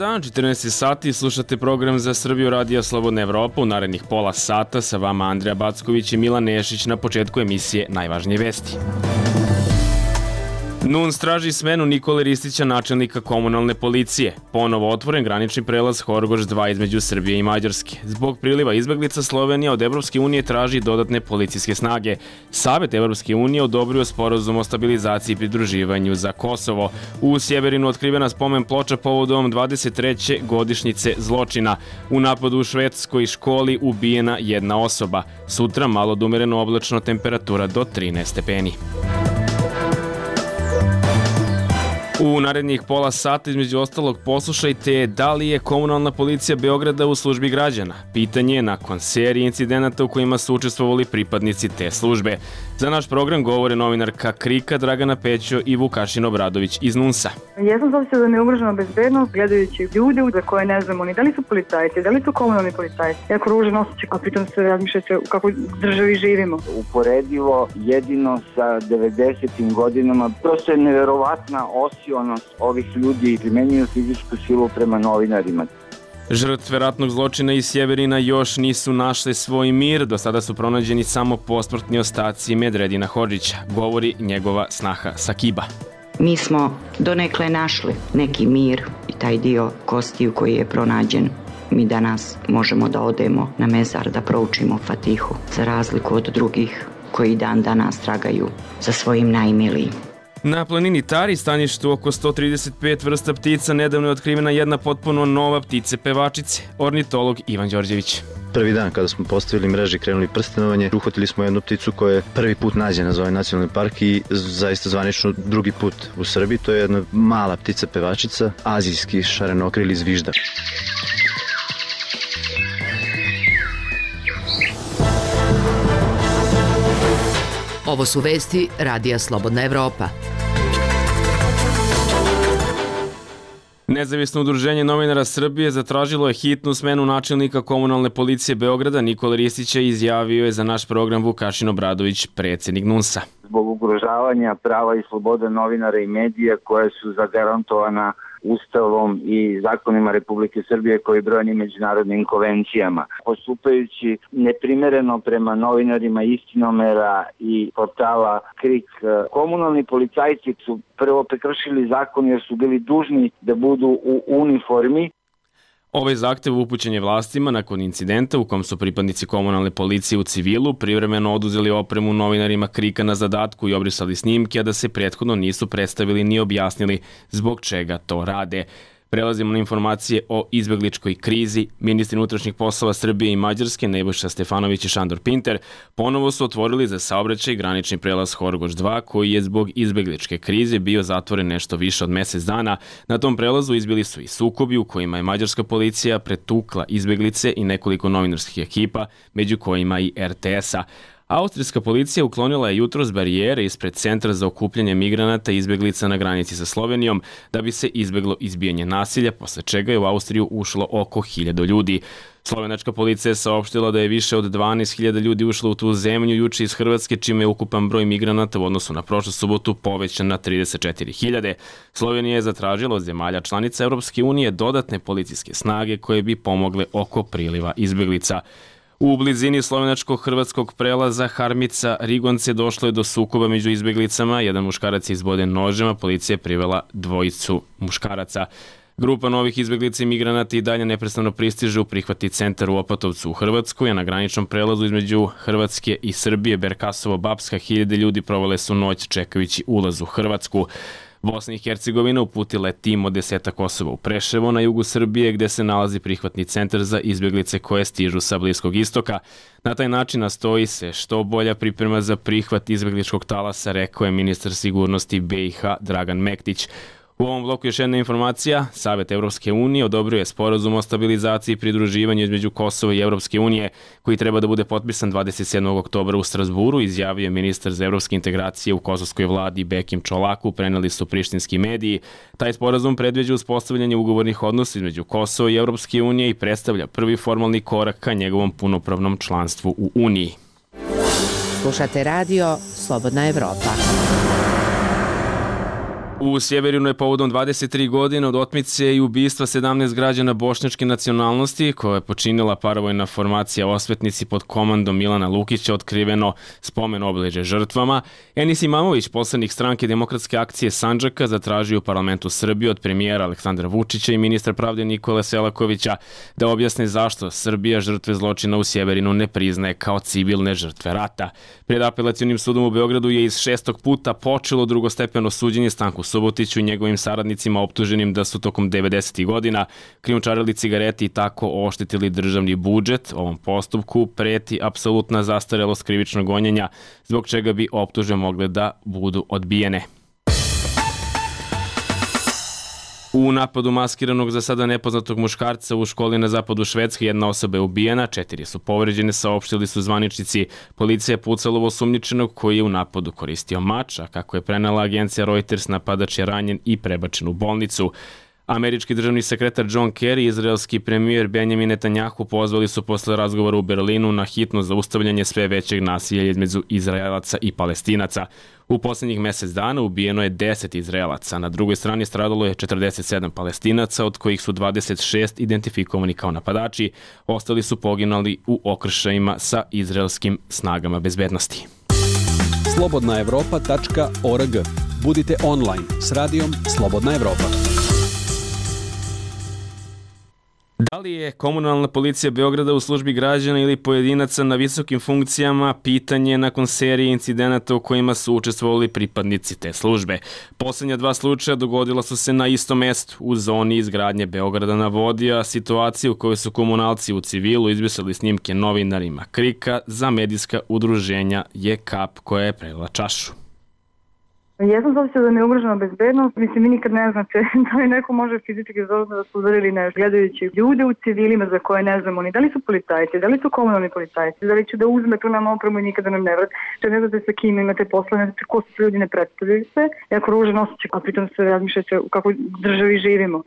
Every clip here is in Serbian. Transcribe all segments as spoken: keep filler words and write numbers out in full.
dan, četrnaest sati, slušate program za Srbiju Radija Slobodna Evropa. U narednih pola sata sa vama Andrija Backović i Milan Nešić. Na početku emisije najvažnije vesti. N U N S traži smenu Nikole Ristića, načelnika komunalne policije. Ponovo otvoren granični prelaz Horgoš dva između Srbije i Mađarske. Zbog priliva izbeglica Slovenija od Evropske unije traži dodatne policijske snage. Savet Evropske unije odobrio sporazum o stabilizaciji i pridruživanju za Kosovo. U Sjeverinu otkrivena spomen ploča povodom dvadeset treće godišnjice zločina. U napadu u švedskoj školi ubijena jedna osoba. Sutra malo odumereno oblačno, temperatura do trinaest stepeni. U narednih pola sata između ostalog poslušajte da li je komunalna policija Beograda u službi građana. Pitanje je nakon serije incidenata u kojima su učestvovali pripadnici te službe. Za naš program govore novinarka Krika Dragana Pećo i Vukašin Obradović iz N U N S-a. Jesam zavisio da mi je ugrožena bezbednost gledajući ljude za koje ne znamo ni da li su policajci, da li su komunalni policajci. Jako ružan osjećaj, a pritom se razmišljate u kakvoj državi živimo. Uporedivo jedino sa devedesetim godinama, prosto je neverovatna osionost ovih ljudi, primenjuju fizičku silu prema novinarima. Žrtve ratnog zločina iz Sjeverina još nisu našle svoj mir, do sada su pronađeni samo posmrtni ostaci Medredina Hodžića, govori njegova snaha Sakiba. Mi smo donekle našli neki mir i taj dio kostiju koji je pronađen. Mi danas možemo da odemo na mezar da proučimo Fatihu, za razliku od drugih koji dan danas tragaju za svojim najmilijim. Na planini Tari, staništu oko sto trideset pet vrsta ptica, nedavno je otkrivena jedna potpuno nova ptice pevačice, ornitolog Ivan Đorđević. Prvi dan kada smo postavili mreže i krenuli prstenovanje, uhvatili smo jednu pticu koja je prvi put nađena za ovaj nacionalni park i zaista zvanično drugi put u Srbiji. To je jedna mala ptica pevačica, azijski šarenokrili zviždar. Ovo su vesti Radija Slobodna Evropa. Nezavisno udruženje novinara Srbije zatražilo je hitnu smenu načelnika komunalne policije Beograda Nikole Ristića i izjavio je za naš program Vukašin Obradović, predsjednik N U N S-a. Zbog ugrožavanja prava i slobode novinara i medija koje su zagarantovana Ustavom i zakonima Republike Srbije koji brojni međunarodnim konvencijama. Postupajući neprimereno prema novinarima Istinomera i portala Krik, komunalni policajci su prvo prekršili zakon jer su bili dužni da budu u uniformi. Ovaj zahtev upućen je vlastima nakon incidenta u kom su pripadnici komunalne policije u civilu privremeno oduzeli opremu novinarima Krika na zadatku i obrisali snimke, a da se prethodno nisu predstavili ni objasnili zbog čega to rade. Prelazimo na informacije o izbegličkoj krizi. Ministri unutrašnjih poslova Srbije i Mađarske Nebojša Stefanović i Šandor Pinter ponovo su otvorili za saobraćaj granični prelaz Horgoš dva koji je zbog izbegličke krize bio zatvoren nešto više od mesec dana. Na tom prelazu izbili su i sukobi u kojima je mađarska policija pretukla izbeglice i nekoliko novinarskih ekipa, među kojima i R T S-a. Austrijska policija uklonila je jutros barijere ispred centra za okupljanje migranata i izbeglica na granici sa Slovenijom da bi se izbeglo izbijanje nasilja, posle čega je u Austriju ušlo oko hiljadu ljudi. Slovenačka policija je saopštila da je više od dvanaest hiljada ljudi ušlo u tu zemlju juče iz Hrvatske, čime je ukupan broj migranata u odnosu na prošlu subotu povećan na trideset četiri hiljade. Slovenija je zatražila od zemalja članica Europske unije dodatne policijske snage koje bi pomogle oko priliva izbeglica. U blizini slovenačko-hrvatskog prelaza Harmica-Rigonce došlo je do sukoba među izbeglicama. Jedan muškarac je izboden nožem, policija je privela dvojicu muškaraca. Grupa novih izbeglica i migranata i dalje neprestano pristiže u prihvatni centar u Opatovcu u Hrvatskoj, a na graničnom prelazu između Hrvatske i Srbije, Berkasovo-Bapska, hiljade ljudi provale su noć čekajući ulaz u Hrvatsku. Bosna i Hercegovina uputila je tim od desetak osoba u Preševo na jugu Srbije gde se nalazi prihvatni centar za izbeglice koje stižu sa Bliskog istoka. Na taj način nastoji se što bolja priprema za prihvat izbegličkog talasa, rekao je ministar sigurnosti B i H Dragan Mektić. U ovom bloku još jedna informacija. Savet Evropske unije odobrio je sporazum o stabilizaciji i pridruživanju između Kosova i Evropske unije, koji treba da bude potpisan dvadeset sedmog oktobra u Strazburu, izjavio je ministar za evropske integracije u kosovskoj vladi Bekim Čolaku, preneli su prištinski mediji. Taj sporazum predviđa uspostavljanje ugovornih odnosa između Kosova i Evropske unije i predstavlja prvi formalni korak ka njegovom punopravnom članstvu u Uniji. Slušate radio Slobodna Evropa. U Sjeverinu je povodom dvadeset tri godine od otmice i ubistva sedamnaest građana bošnjačke nacionalnosti, koja je počinila paravojna formacija Osvetnici pod komandom Milana Lukića, otkriveno spomen obeležje žrtvama. Enis Imamović, poslanik stranke Demokratske akcije Sandžaka, zatražio u parlamentu Srbije od premijera Aleksandra Vučića i ministra pravde Nikole Selakovića da objasne zašto Srbija žrtve zločina u Sjeverinu ne priznaje kao civilne žrtve rata. Pred apelacionim sudom u Beogradu je iz šestog puta počelo drugostepeno suđenje Stanku Subotiću i njegovim saradnicima optuženim da su tokom devedesetih godina krijumčarili cigareti i tako oštetili državni budžet. Ovom postupku preti apsolutna zastarelost krivičnog gonjenja, zbog čega bi optužbe mogle da budu odbijene. U napadu maskiranog za sada nepoznatog muškarca u školi na zapadu Švedske jedna osoba je ubijena, četiri su povređene, saopštili su zvaničnici. Policija je pucala u osumnjičenog koji je u napadu koristio mač, a kako je prenela agencija Reuters, napadač je ranjen i prebačen u bolnicu. Američki državni sekretar John Kerry i izraelski premijer Benjamin Netanjahu pozvali su posle razgovora u Berlinu na hitno zaustavljanje sve većeg nasilja između Izraelaca i Palestinaca. U poslednjih mesec dana ubijeno je deset Izraelaca, na drugoj strani stradalo je četrdeset sedam Palestinaca, od kojih su dvadeset šest identifikovani kao napadači, ostali su poginuli u okršajima sa izraelskim snagama bezbednosti. slobodna evropa tačka org. Budite online s radijom Slobodna Evropa. Da li je komunalna policija Beograda u službi građana ili pojedinaca na visokim funkcijama, pitanje nakon serije incidenata u kojima su učestvovali pripadnici te službe. Poslednja dva slučaja dogodila su se na istom mestu, u zoni izgradnje Beograda na vodi, a situaciju u kojoj su komunalci u civilu izbrisali snimke novinarima Krika za medijska udruženja je kap koja je prelila čašu. Jesam zavisio da mi je ugrožena bezbednost. Mislim, vi nikad ne znate da li neko može fizički zozno da su udarili nešto. Gledajući ljude u civilima za koje ne znamo ni da li su policajci, da li su komunalni policajci, da li će da uzme tu nam opremu i nikada nam ne vrati. Če ne znate sa kim imate posla, ne znate ko su ljudi, ne predstavljaju se. Jako ružan osjećaj, a pritom se razmišljate u kakvoj državi živimo.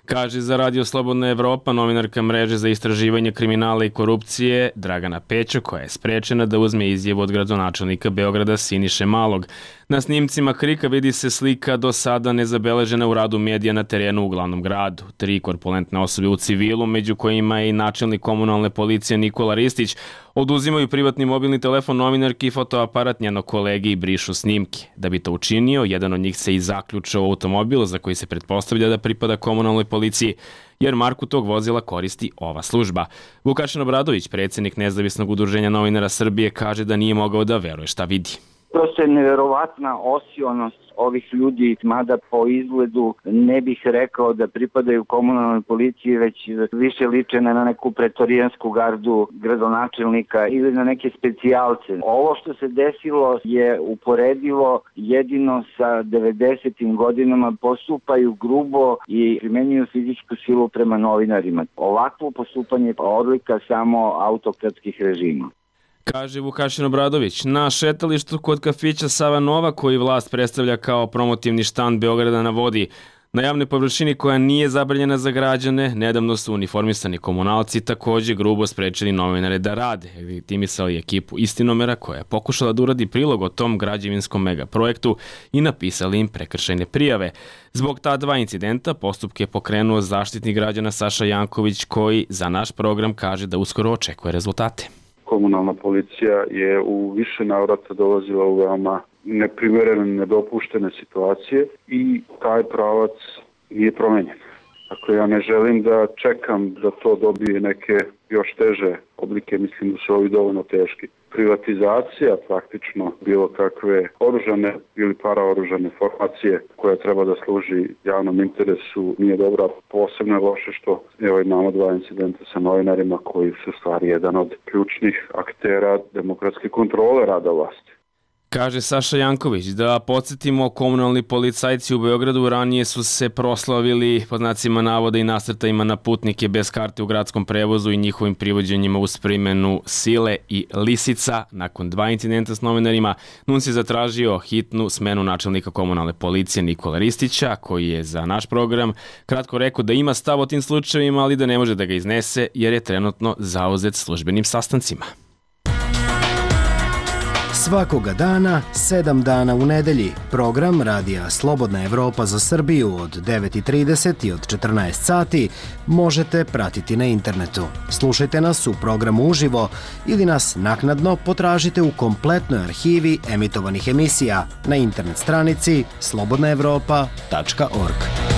Kaže za Radio Slobodna Evropa novinarka mreže za istraživanje kriminala i korupcije Dragana Pećo, koja je sprečena da uzme izjavu od gradonačelnika Beograda Siniše Malog. Na snimcima Krika vidi se slika do sada nezabeležena u radu medija na terenu u glavnom gradu. Tri korpulentne osobe u civilu, među kojima je i načelnik komunalne policije Nikola Ristić, oduzimaju privatni mobilni telefon novinarki i fotoaparat njenog kolege i brišu snimke. Da bi to učinio, jedan od njih se i zaključao u automobil za koji se pretpostavlja da pripada komunalnoj policiji, jer marku tog vozila koristi ova služba. Vukašin Obradović, predsjednik Nezavisnog udruženja novinara Srbije, kaže da nije mogao da veruje šta vidi. Prosto je neverovatna osionost ovih ljudi, mada po izgledu ne bih rekao da pripadaju komunalnoj policiji, već više liče na neku pretorijansku gardu gradonačelnika ili na neke specijalce. Ovo što se desilo je uporedivo jedino sa devedesetim godinama, postupaju grubo i primenjuju fizičku silu prema novinarima. Ovakvo postupanje je odlika samo autokratskih režima. Kaže Vukašin Obradović. Na šetalištu kod kafića Sava Nova, koji vlast predstavlja kao promotivni štand Beograda na vodi, na javnoj površini koja nije zabranjena za građane, nedavno su uniformisani komunalci takođe grubo sprečili novinare da rade. Legitimisali ekipu Istinomera koja je pokušala da uradi prilog o tom građevinskom megaprojektu i napisali im prekršajne prijave. Zbog ta dva incidenta postupke je pokrenuo zaštitnik građana Saša Janković, koji za naš program kaže da uskoro očekuje rezultate. Komunalna policija je u više navrata dolazila u veoma neprimerene, nedopuštene situacije i taj pravac nije promenjen. Dakle, ja ne želim da čekam da to dobije neke još teže oblike, mislim da su ovi dovoljno teški. Privatizacija praktično bilo kakve oružane ili paraoružane formacije koja treba da služi javnom interesu nije dobra. Posebno je loše što evo imamo dva incidenta sa novinarima koji su stvari jedan od ključnih aktera demokratske kontrole rada vlasti. Kaže Saša Janković. Da podsjetimo, komunalni policajci u Beogradu ranije su se proslavili pod znacima navoda i nasrtajima na putnike bez karte u gradskom prevozu i njihovim privođenjima uz primenu sile i lisica. Nakon dva incidenta s novinarima, N U N S je zatražio hitnu smenu načelnika komunalne policije Nikola Ristića, koji je za naš program kratko rekao da ima stav o tim slučajevima, ali da ne može da ga iznese jer je trenutno zauzet službenim sastancima. Svakoga dana, sedam dana u nedelji. Program Radija Slobodna Evropa za Srbiju od devet i trideset i od četrnaest sati možete pratiti na internetu. Slušajte nas u programu uživo ili nas naknadno potražite u kompletnoj arhivi emitovanih emisija na internet stranici slobodna evropa tačka org.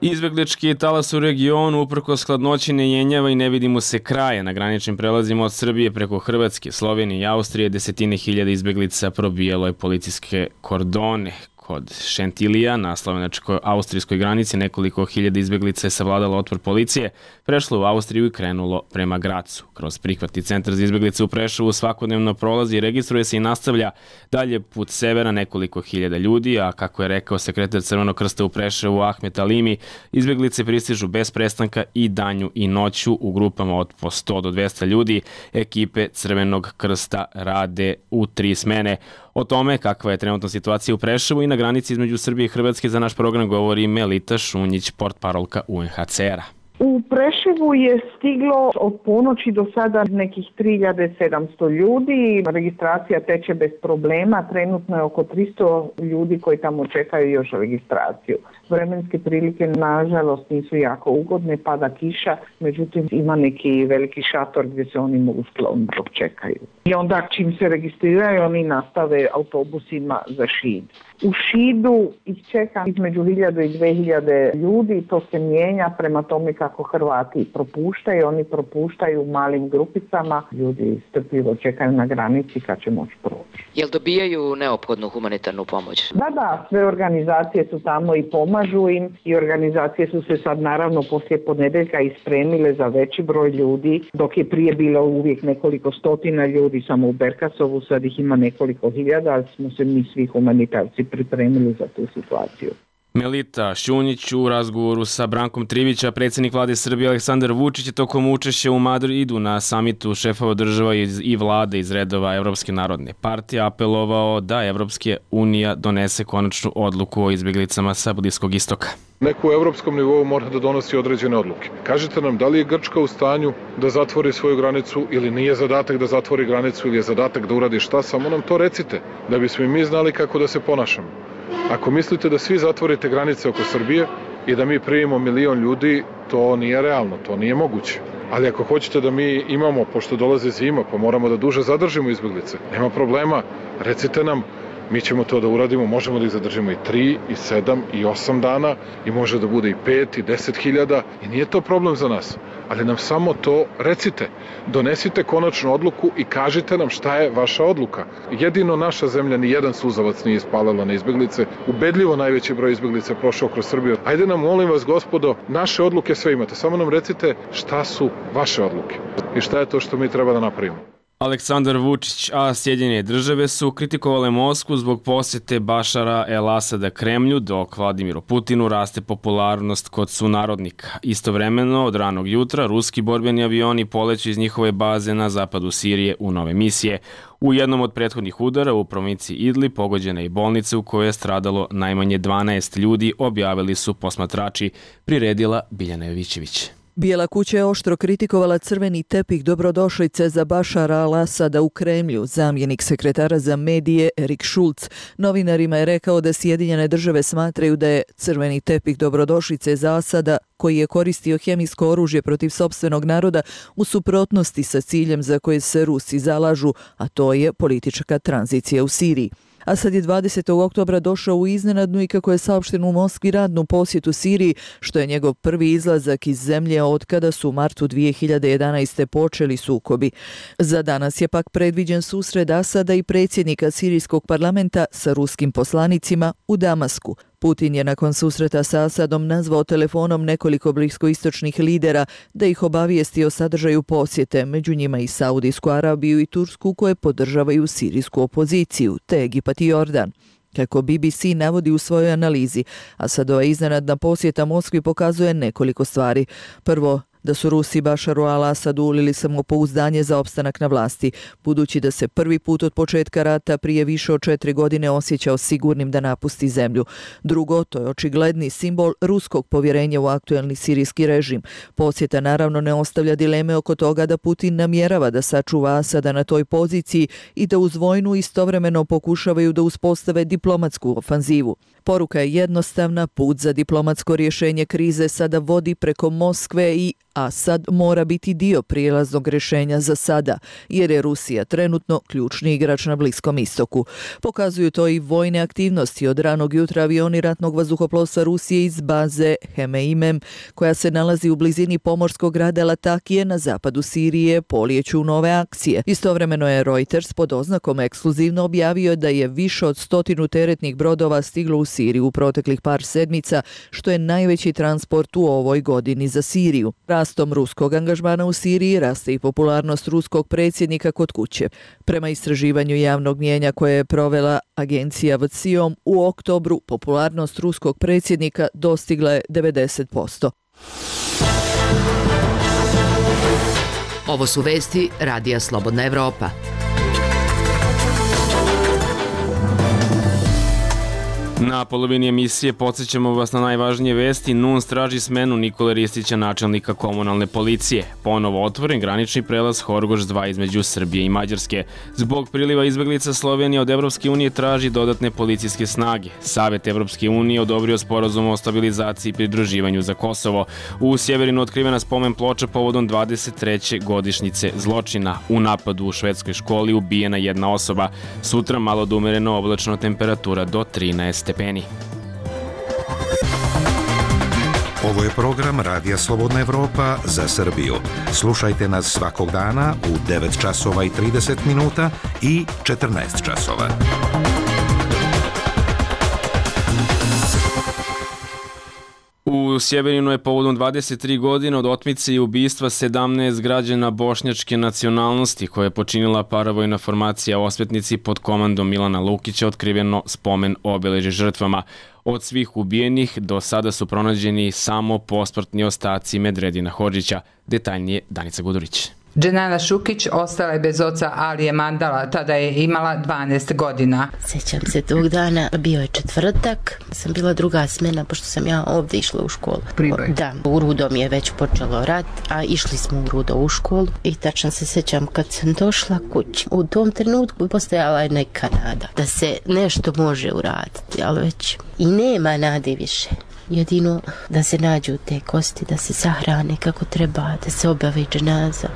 Izbeglički talas u regionu uprkos hladnoći ne jenjava i ne vidi mu se kraja. Na graničnim prelazima od Srbije preko Hrvatske, Slovenije i Austrije desetine hiljada izbeglica probijalo je policijske kordone. Kod Šentilija na slovenačko-austrijskoj granici nekoliko hiljada izbeglica je savladalo otpor policije, prešlo u Austriju i krenulo prema Gracu. Kroz prihvatni centar za izbeglice u Preševu svakodnevno prolazi i registruje se i nastavlja dalje put severa nekoliko hiljada ljudi, a kako je rekao sekretar Crvenog krsta u Preševu Ahmet Alimi, izbeglice pristižu bez prestanka i danju i noću u grupama od po sto do dvesta ljudi. Ekipe Crvenog krsta rade u tri smene. O tome kakva je trenutna situacija u Preševu i na granici između Srbije i Hrvatske za naš program govori Melita Šunjić, portparolka U N H C R-a. U Preševu je stiglo od ponoći do sada nekih tri hiljade sedamsto ljudi. Registracija teče bez problema. Trenutno je oko tristo ljudi koji tamo čekaju još registraciju. Vremenske prilike nažalost nisu jako ugodne, pada kiša, međutim ima neki veliki šator gdje se oni mogu skloniti dok čekaju. I onda čim se registriraju oni nastave autobusima za Šid. U Šidu ih čeka između hiljadu i dve hiljade ljudi, to se mijenja prema tome kako Hrvati propuštaju, oni propuštaju u malim grupicama, ljudi strpljivo čekaju na granici kad će moći proći. Jel dobijaju neophodnu humanitarnu pomoć? Da, da, sve organizacije su tamo i pomažu im i organizacije su se sad naravno poslije ponedeljka ispremile za veći broj ljudi, dok je prije bilo uvijek nekoliko stotina ljudi samo u Berkasovu, sad ih ima nekoliko hiljada, ali smo se mi svi humanitarci pripremili za tu situaciju. Melita Šunjić u razgovoru sa Brankom Trivića, predsjednik vlade Srbije Aleksandar Vučić je tokom učešća u Madridu na samitu šefova država i vlade iz redova Evropske narodne partije apelovao da Evropska unija donese konačnu odluku o izbjeglicama sa Bliskog istoka. Neko u evropskom nivou mora da donosi određene odluke. Kažite nam, da li je Grčka u stanju da zatvori svoju granicu ili nije zadatak da zatvori granicu ili je zadatak da uradi šta, samo nam to recite, da bismo i mi znali kako da se ponašamo. Ako mislite da svi zatvorite granice oko Srbije i da mi primimo milion ljudi, to nije realno, to nije moguće. Ali ako hoćete da mi imamo, pošto dolaze zima, pa moramo da duže zadržimo izbjeglice, nema problema, recite nam, mi ćemo to da uradimo, možemo da ih zadržimo i tri, i sedam, i osam dana, i može da bude i pet, i deset hiljada, i nije to problem za nas. Ali nam samo to recite, donesite konačnu odluku i kažite nam šta je vaša odluka. Jedino naša zemlja ni jedan suzavac nije ispalila na izbjeglice, ubedljivo najveći broj izbjeglica prošao kroz Srbiju. Ajde nam, molim vas, gospodo, naše odluke sve imate, samo nam recite šta su vaše odluke i šta je to što mi treba da napravimo. Aleksandar Vučić, a Sjedinjene države su kritikovale Moskvu zbog posjete Bašara el-Asada Kremlju, dok Vladimiru Putinu raste popularnost kod sunarodnika. Istovremeno, od ranog jutra, ruski borbeni avioni poleću iz njihove baze na zapadu Sirije u nove misije. U jednom od prethodnih udara u provinciji Idlib pogođena je i bolnica u kojoj je stradalo najmanje dvanaest ljudi, objavili su posmatrači, priredila Biljana Jovićević. Bijela kuća je oštro kritikovala crveni tepih dobrodošlice za Bašara al-Asada u Kremlju. Zamjenik sekretara za medije Erik Šulc novinarima je rekao da Sjedinjene države smatraju da je crveni tepih dobrodošlice za Asada, koji je koristio hemijsko oružje protiv sopstvenog naroda, u suprotnosti sa ciljem za koje se Rusi zalažu, a to je politička tranzicija u Siriji. Asad je dvadesetog oktobra došao u iznenadnu i, kako je saopšteno u Moskvi, radnu posjetu Siriji, što je njegov prvi izlazak iz zemlje od kada su u martu dvije hiljade jedanaeste. počeli sukobi. Za danas je pak predviđen susret Asada i predsjednika sirijskog parlamenta sa ruskim poslanicima u Damasku. Putin je nakon susreta sa Asadom nazvao telefonom nekoliko bliskoistočnih lidera da ih obavijesti o sadržaju posjete, među njima i Saudijsku Arabiju i Tursku, koje podržavaju sirijsku opoziciju, te Egipat i Jordan. Kako B B C navodi u svojoj analizi, Asadova iznenadna posjeta Moskvi pokazuje nekoliko stvari. Prvo, da su Rusi Bašaru al-Asadu ulili samopouzdanje za opstanak na vlasti, budući da se prvi put od početka rata prije više od četiri godine osjećao sigurnim da napusti zemlju. Drugo, to je očigledni simbol ruskog povjerenja u aktuelni sirijski režim. Posjeta naravno ne ostavlja dileme oko toga da Putin namjerava da sačuva Asada na toj poziciji i da uz vojnu istovremeno pokušavaju da uspostave diplomatsku ofanzivu. Poruka je jednostavna, put za diplomatsko rješenje krize sada vodi preko Moskve i Asad mora biti dio prijelaznog rješenja za sada, jer je Rusija trenutno ključni igrač na Bliskom istoku. Pokazuju to i vojne aktivnosti. Od ranog jutra avioni ratnog vazduhoplovstva Rusije iz baze Hemeimem, koja se nalazi u blizini pomorskog grada Latakije na zapadu Sirije, polijeću u nove akcije. Istovremeno je Reuters pod oznakom ekskluzivno objavio da je više od stotinu teretnih brodova stiglo u Siriju u proteklih par sedmica, što je najveći transport u ovoj godini za Siriju. Rastom ruskog angažmana u Siriji raste i popularnost ruskog predsjednika kod kuće. Prema istraživanju javnog mnijenja koje je provela agencija V C I O M, u oktobru popularnost ruskog predsjednika dostigla je devedeset posto. Ovo su vesti Radija Slobodna Evropa. Na polovini emisije podsjećamo vas na najvažnije vesti. N U N S traži smenu Nikole Ristića, načelnika komunalne policije. Ponovo otvoren granični prelaz Horgoš dva između Srbije i Mađarske. Zbog priliva izbeglica Slovenija od Evropske unije traži dodatne policijske snage. Savet Evropske unije odobrio sporazum o stabilizaciji i pridruživanju za Kosovo. U Sjeverinu otkrivena spomen ploča povodom dvadeset treće godišnjice zločina. U napadu u švedskoj školi ubijena jedna osoba. Sutra malo da umereno oblačno, temperatura do trinaest stepeni. Ovo je program Radija Slobodna Evropa za Srbiju. Slušajte nas svakog dana u devet časova i trideset minuta i četrnaest časova. U Sjeverinu je povodom dvadeset tri godine od otmice i ubistva sedamnaest građana bošnjačke nacionalnosti koje je počinila paravojna formacija Osvetnici pod komandom Milana Lukića otkriveno spomen obeležje žrtvama. Od svih ubijenih do sada su pronađeni samo posmrtni ostaci Medredina Hodžića. Detaljnije Danica Gudurić. Dženana Šukić ostala je bez oca Alije Mandala, tada je imala dvanaest godina. Sjećam se tog dana, bio je četvrtak, sam bila druga smena, pošto sam ja ovdje išla u školu. Priboj. Da, u Rudo mi je već počelo rat, a išli smo u Rudo u školu i tačno se sjećam kad sam došla kući. U tom trenutku postojala je neka nada da se nešto može uraditi, ali već i nema nade više. Jedino da se nađu te kosti, da se sahrane kako treba, da se obavi dženaza,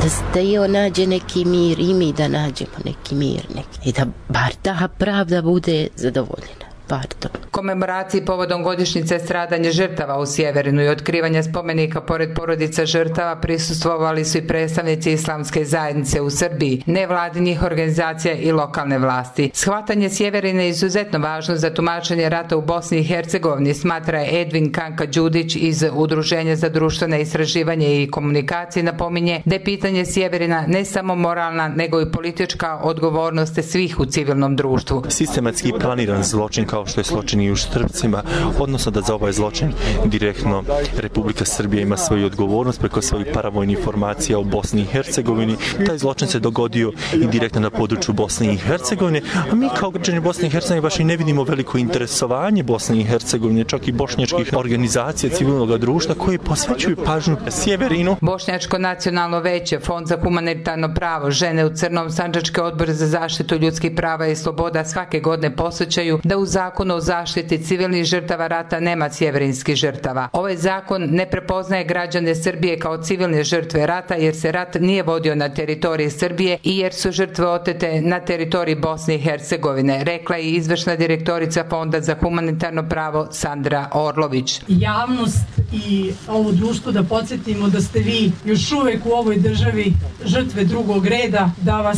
da, da i on nađe neki mir i mi da nađemo neki mir neki. I da bar ta pravda bude zadovoljena. Pardon. Komemoraciji povodom godišnjice stradanja žrtava u Sjeverinu i otkrivanja spomenika pored porodica žrtava prisustvovali su i predstavnici islamske zajednice u Srbiji, nevladinih organizacija i lokalne vlasti. Shvatanje Sjeverina je izuzetno važno za tumačenje rata u Bosni i Hercegovini, smatra Edvin Kanka Đudić iz Udruženja za društvene istraživanje i komunikacije, napominje da je pitanje Sjeverina ne samo moralna nego i politička odgovornost svih u civilnom društvu. Sistematski planiran zločin kao što je zločin i u Štrpcima, odnosno da za ovaj zločin direktno Republika Srbija ima svoju odgovornost preko svojih paravojnih formacija u Bosni i Hercegovini. Taj zločin se dogodio i direktno na području Bosne i Hercegovine, a mi kao građani Bosne i Hercegovine baš i ne vidimo veliko interesovanje Bosne i Hercegovine, čak i bošnjačkih organizacija civilnog društva koji posvećuju pažnju Sjeverinu. Bošnjačko nacionalno veće, Fond za humanitarno pravo, Žene u crnom, Sandžački odbor za zaštitu ljudskih prava i sloboda svake godine posvećaju da u zakonu o zaštiti civilnih žrtava rata nema sjeverinskih žrtava. Ovaj zakon ne prepoznaje građane Srbije kao civilne žrtve rata jer se rat nije vodio na teritoriji Srbije i jer su žrtve otete na teritoriji Bosne i Hercegovine, rekla je izvršna direktorica Fonda za humanitarno pravo Sandra Orlović. Javnost i ovo društvo da podsjetimo da ste vi još uvek u ovoj državi žrtve drugog reda, da vas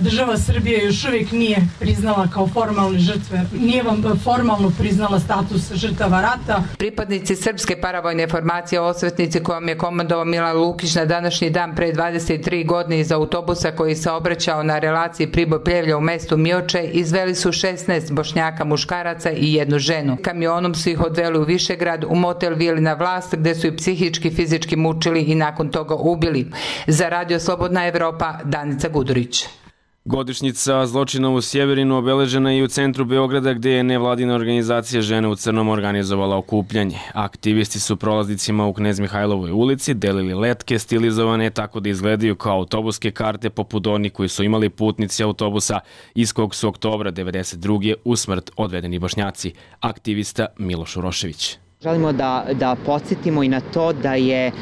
država Srbije još uvijek nije priznala kao formalne žrtve, nije vam formalno priznala status žrtava rata. Pripadnici srpske paravojne formacije Osvetnici, kojom je komandovao Milan Lukić na današnji dan pre dvadeset tri godine iz autobusa koji se obraćao na relaciji Priboj-Pljevlja u mestu Mioče, izveli su šesnaest Bošnjaka muškaraca i jednu ženu. Kamionom su ih odveli u Višegrad, u motel Vili na Vlast, gde su ih psihički, fizički mučili i nakon toga ubili. Za Radio Slobodna Evropa, Danica Gudurić. Godišnjica zločina u Sjeverinu obeležena je i u centru Beograda, gde je nevladina organizacija Žene u crnom organizovala okupljanje. Aktivisti su prolaznicima u Knez Mihajlovoj ulici delili letke stilizovane tako da izgledaju kao autobuske karte poput onih koji su imali putnici autobusa iz kog su oktobra devedeset druge u smrt odvedeni Bošnjaci. Aktivista Miloš Urošević. Želimo da, da podsjetimo i na to da je e,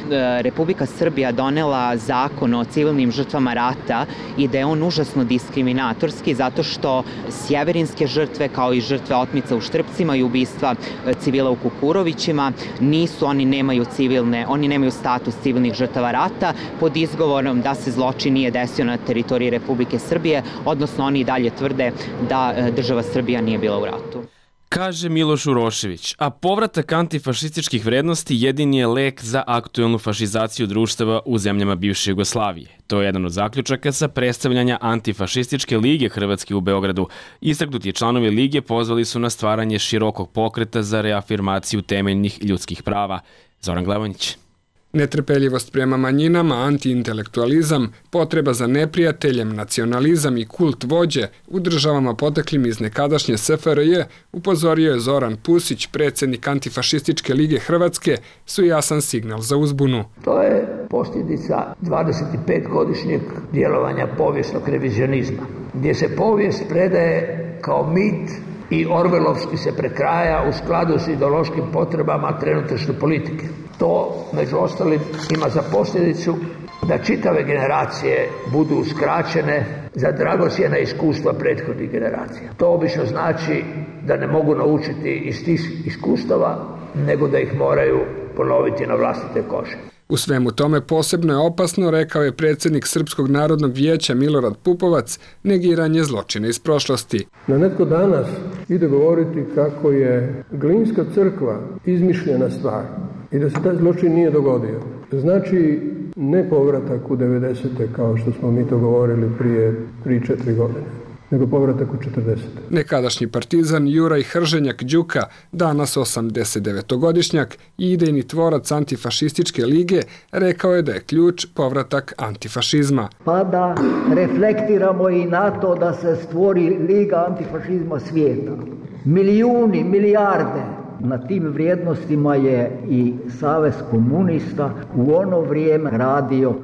Republika Srbija donela zakon o civilnim žrtvama rata i da je on užasno diskriminatorski zato što sjeverinske žrtve kao i žrtve otmica u Štrpcima i ubistva e, civila u Kukurovićima nisu, oni nemaju civilne, oni nemaju status civilnih žrtava rata pod izgovorom da se zločin nije desio na teritoriji Republike Srbije, odnosno oni i dalje tvrde da e, država Srbija nije bila u ratu. Kaže Miloš Urošević, a povratak antifašističkih vrednosti jedini je lek za aktuelnu fašizaciju društava u zemljama bivše Jugoslavije. To je jedan od zaključaka sa predstavljanja Antifašističke lige Hrvatske u Beogradu. Istaknuti članovi lige pozvali su na stvaranje širokog pokreta za reafirmaciju temeljnih ljudskih prava. Zoran Glavonjić. Netrpeljivost prema manjinama, antiintelektualizam, potreba za neprijateljem, nacionalizam i kult vođe u državama poteklim iz nekadašnje S F R J, upozorio je Zoran Pusić, predsjednik Antifašističke lige Hrvatske, su jasan signal za uzbunu. To je posljedica dvadesetpetogodišnjeg djelovanja povijesnog revizionizma, gdje se povijest predaje kao mit i orvelovski se prekraja u skladu s ideološkim potrebama trenutačne politike. To, među ostalim, ima za posljedicu da čitave generacije budu uskraćene za dragocjena iskustva prethodnih generacija. To obično znači da ne mogu naučiti iz tih iskustava, nego da ih moraju ponoviti na vlastite kože. U svemu tome posebno je opasno, rekao je predsjednik Srpskog narodnog vijeća Milorad Pupovac, negiranje zločina iz prošlosti. Na netko danas ide govoriti kako je Glinska crkva izmišljena stvar i da se taj zločin nije dogodio. Znači ne povratak u devedesete kao što smo mi to govorili prije tri četiri godine, nego povratak u četrdesete. Nekadašnji partizan Juraj Hrženjak Đuka, danas osamdesetdevetogodišnjak i idejni tvorac Antifašističke lige, rekao je da je ključ povratak antifašizma. Pa da reflektiramo i na to da se stvori Liga antifašizma svijeta. Milijuni, milijarde. Na tim vrijednostima je i Savez komunista u ono vrijeme radio.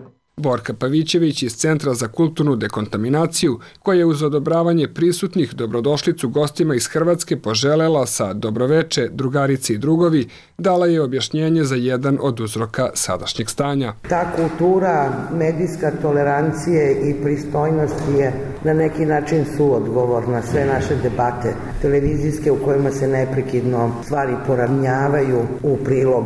Borka Pavićević iz Centra za kulturnu dekontaminaciju, koja je uz odobravanje prisutnih dobrodošlicu gostima iz Hrvatske poželela sa dobroveče, drugarice i drugovi, dala je objašnjenje za jedan od uzroka sadašnjeg stanja. Ta kultura medijska tolerancije i pristojnosti je na neki način suodgovor na sve naše debate televizijske u kojima se neprekidno stvari poravnjavaju u prilog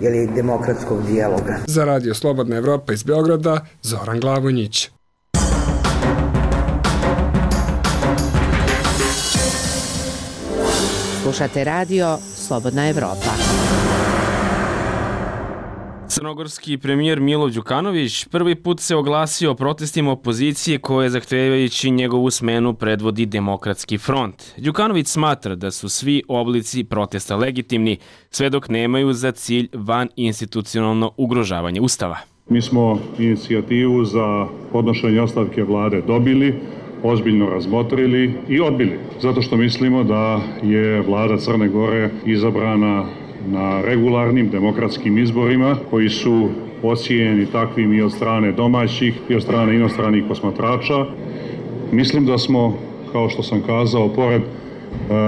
ili demokratskog dijaloga. Za Radio Slobodna Evropa iz Beograda, Zoran Glavonjić. Slušate radio Slobodna Evropa. Crnogorski premijer Milo Đukanović prvi put se oglasio o protestima opozicije koje zahtevajući njegovu smenu predvodi Demokratski front. Đukanović smatra da su svi oblici protesta legitimni, sve dok nemaju za cilj van institucionalno ugrožavanje Ustava. Mi smo inicijativu za podnošenje ostavke vlade dobili, ozbiljno razmotrili i odbili, zato što mislimo da je vlada Crne Gore izabrana na regularnim demokratskim izborima koji su ocijenjeni takvim i od strane domaćih i od strane inostranih posmatrača. Mislim da smo, kao što sam kazao, pored e,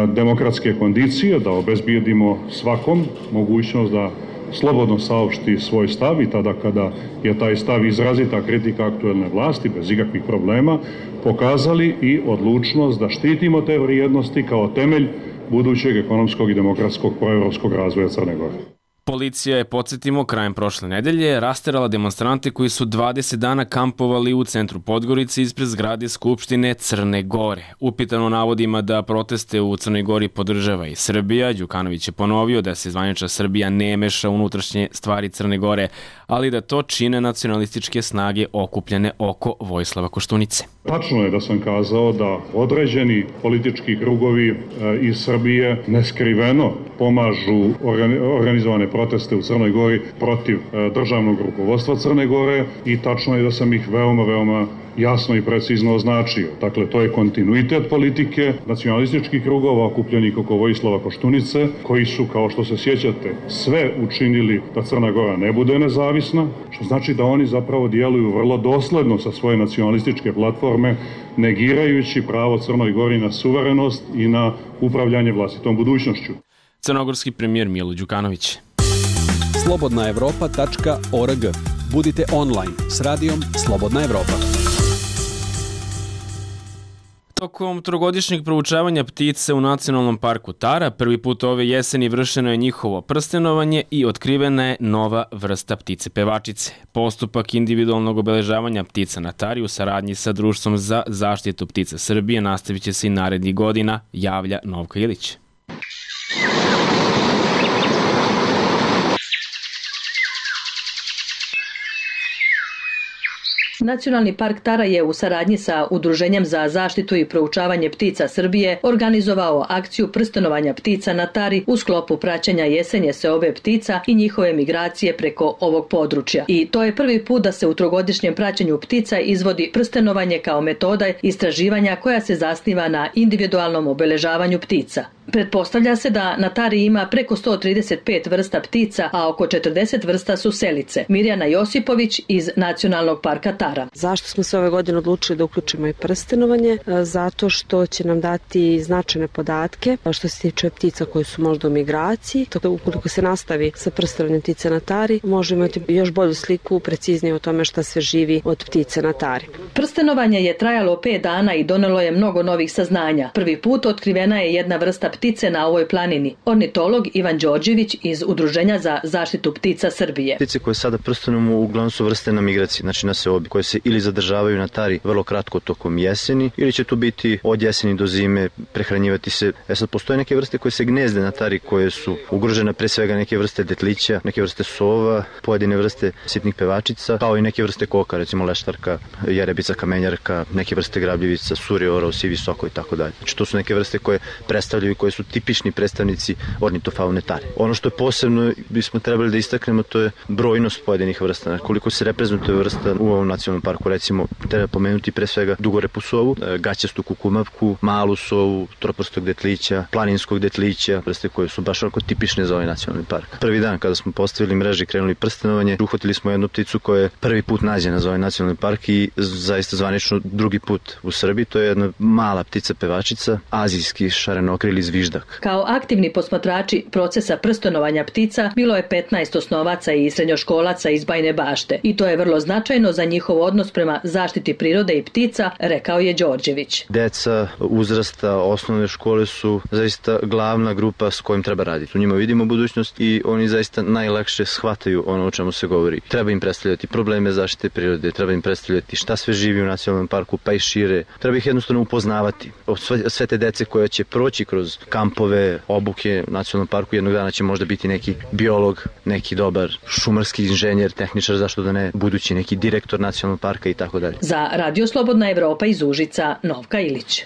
demokratske kondicije, da obezbijedimo svakom mogućnost da slobodno saopšti svoj stav i tada kada je taj stav izrazita kritika aktuelne vlasti bez ikakvih problema, pokazali i odlučnost da štitimo te vrijednosti kao temelj budućeg ekonomskog i demokratskog proevropskog razvoja Crne Gore. Policija je, podsjetimo, krajem prošle nedelje rasterala demonstrante koji su dvadeset dana kampovali u centru Podgorice ispred zgrade Skupštine Crne Gore. Upitano navodima da proteste u Crnoj Gori podržava i Srbija, Đukanović je ponovio da se zvanična Srbija ne meša u unutrašnje stvari Crne Gore, ali da to čine nacionalističke snage okupljene oko Vojislava Koštunice. Tačno je da sam kazao da određeni politički krugovi iz Srbije neskriveno pomažu organizovane proteste u Crnoj Gori protiv državnog rukovodstva Crne Gore i tačno je da sam ih veoma, veoma jasno i precizno označio. Dakle, to je kontinuitet politike nacionalističkih krugova okupljenih oko Vojislava Koštunice, koji su, kao što se sjećate, sve učinili da Crna Gora ne bude nezavisna, što znači da oni zapravo djeluju vrlo dosledno sa svoje nacionalističke platforme, negirajući pravo Crnoj Gori na suverenost i na upravljanje vlastitom budućnošću. Crnogorski premijer Milo Đukanović. slobodna evropa tačka org. Budite online s radijom Slobodna Evropa. Tokom trogodišnjeg proučavanja ptice u Nacionalnom parku Tara, prvi put ove jeseni vršeno je njihovo prstenovanje i otkrivena je nova vrsta ptice pevačice. Postupak individualnog obeležavanja ptica na Tari u saradnji sa Društvom za zaštitu ptica Srbije nastavit će se i narednih godina, javlja Novka Ilić. Nacionalni park Tara je u saradnji sa Udruženjem za zaštitu i proučavanje ptica Srbije organizovao akciju prstenovanja ptica na Tari u sklopu praćenja jesenje seobe ptica i njihove migracije preko ovog područja. I to je prvi put da se u trogodišnjem praćenju ptica izvodi prstenovanje kao metoda istraživanja koja se zasniva na individualnom obeležavanju ptica. Pretpostavlja se da na Tari ima preko sto trideset pet vrsta ptica, a oko četrdeset vrsta su selice. Mirjana Josipović iz Nacionalnog parka Tara. Zašto smo se ove godine odlučili da uključimo i prstenovanje? Zato što će nam dati značajne podatke što se tiče ptica koje su možda u migraciji. Tako da ukoliko se nastavi sa prstenovanjem ptice na Tari, možemo imati još bolju sliku, preciznije o tome šta sve živi od ptice na Tari. Prstenovanje je trajalo pet dana i donelo je mnogo novih saznanja. Prvi put otkrivena je jedna vrsta ptice na ovoj planini. Ornitolog Ivan Đorđević iz Udruženja za zaštitu ptica Srbije. Ptice koje sada prstenujemo uglavnom su vrste na migraciji, znači na seobi, koje se ili zadržavaju na Tari vrlo kratko tokom jeseni, ili će tu biti od jeseni do zime, prehranjivati se. E sad, postoje neke vrste koje se gnezde na Tari, koje su ugrožene, pre svega neke vrste detlića, neke vrste sova, pojedine vrste sitnih pevačica, kao i neke vrste koka, recimo leštarka, jerebica, kamenjarka, neke vrste grabljivica, suri, orao, sivi soko i tako dalje. Znači, to su neke vrste koje predstavljaju, koje su tipični predstavnici ornitofaune Tare. Ono što je posebno bismo trebali da istaknemo, to je brojnost pojedinih vrsta. Koliko se reprezentuje vrsta u ovom nacionalnom parku, recimo treba pomenuti pre svega dugorepu sovu, gaćastu kukumavku, malu sovu, troprstog detlića, planinskog detlića, vrste koje su baš onako tipične za ovaj nacionalni park. Prvi dan kada smo postavili mreže i krenuli prstenovanje, uhvatili smo jednu pticu koja je prvi put nađena za ovaj nacionalni park i zaista zvanično drugi put u Srbiji. To je jedna mala ptica pevačica, azijski šarenokrili zviždak. Kao aktivni posmatrači procesa prstenovanja ptica bilo je petnaest osnovaca i srednjoškolaca iz Bajine Bašte i to je vrlo značajno za njihov odnos prema zaštiti prirode i ptica, rekao je Đorđević. Deca uzrasta osnovne škole su zaista glavna grupa s kojim treba raditi. U njima vidimo budućnost i oni zaista najlakše shvataju ono o čemu se govori. Treba im predstavljati probleme zaštite prirode, treba im predstavljati šta sve živi u nacionalnom parku, pa i šire. Treba ih jednostavno upoznavati. Sve, sve te dece koje će proći kroz kampove, obuke u nacionalnom parku, jednog dana će možda biti neki biolog, neki dobar šumarski inženjer, tehničar, zašto da ne, budući neki direktor nacionalnog parka i tako dalje. Za Radio Slobodna Evropa iz Užica, Novka Ilić.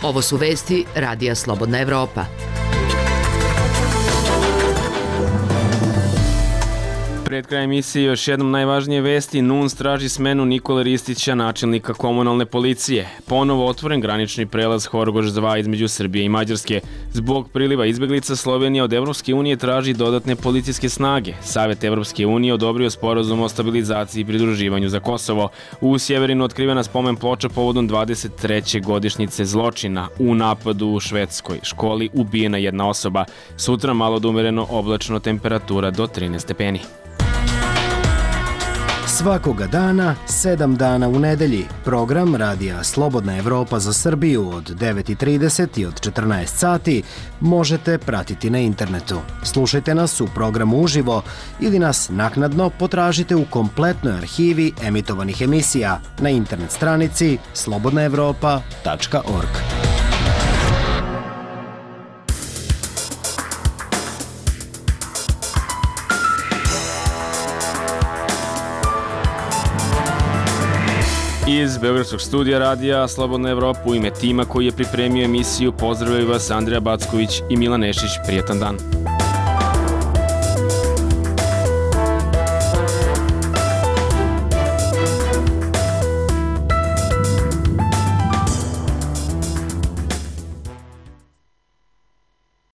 Ovo su vesti Radija Slobodna Evropa. Pred krajem emisije još jednom najvažnije vesti. N U N S traži smenu Nikole Ristića, načelnika komunalne policije. Ponovo otvoren granični prelaz Horgoš dva između Srbije i Mađarske. Zbog priliva izbeglica Slovenija od Evropske unije traži dodatne policijske snage. Savet Evropske unije odobrio sporazum o stabilizaciji i pridruživanju za Kosovo. U Sjeverinu otkrivena spomen ploča povodom dvadeset treće godišnjice zločina. U napadu u švedskoj školi ubijena jedna osoba. Sutra malo da umereno oblačno, temperatura do trinaest stepeni. Svakoga dana, sedam dana u nedelji, program Radija Slobodna Evropa za Srbiju od devet i trideset i od četrnaest sati možete pratiti na internetu. Slušajte nas u programu uživo ili nas naknadno potražite u kompletnoj arhivi emitovanih emisija na internet stranici slobodna evropa tačka org. Iz Beogradskog studija radija Slobodna Evropa u ime tima koji je pripremio emisiju pozdravljaju vas Andreja Backović i Milan Nešić. Prijetan dan.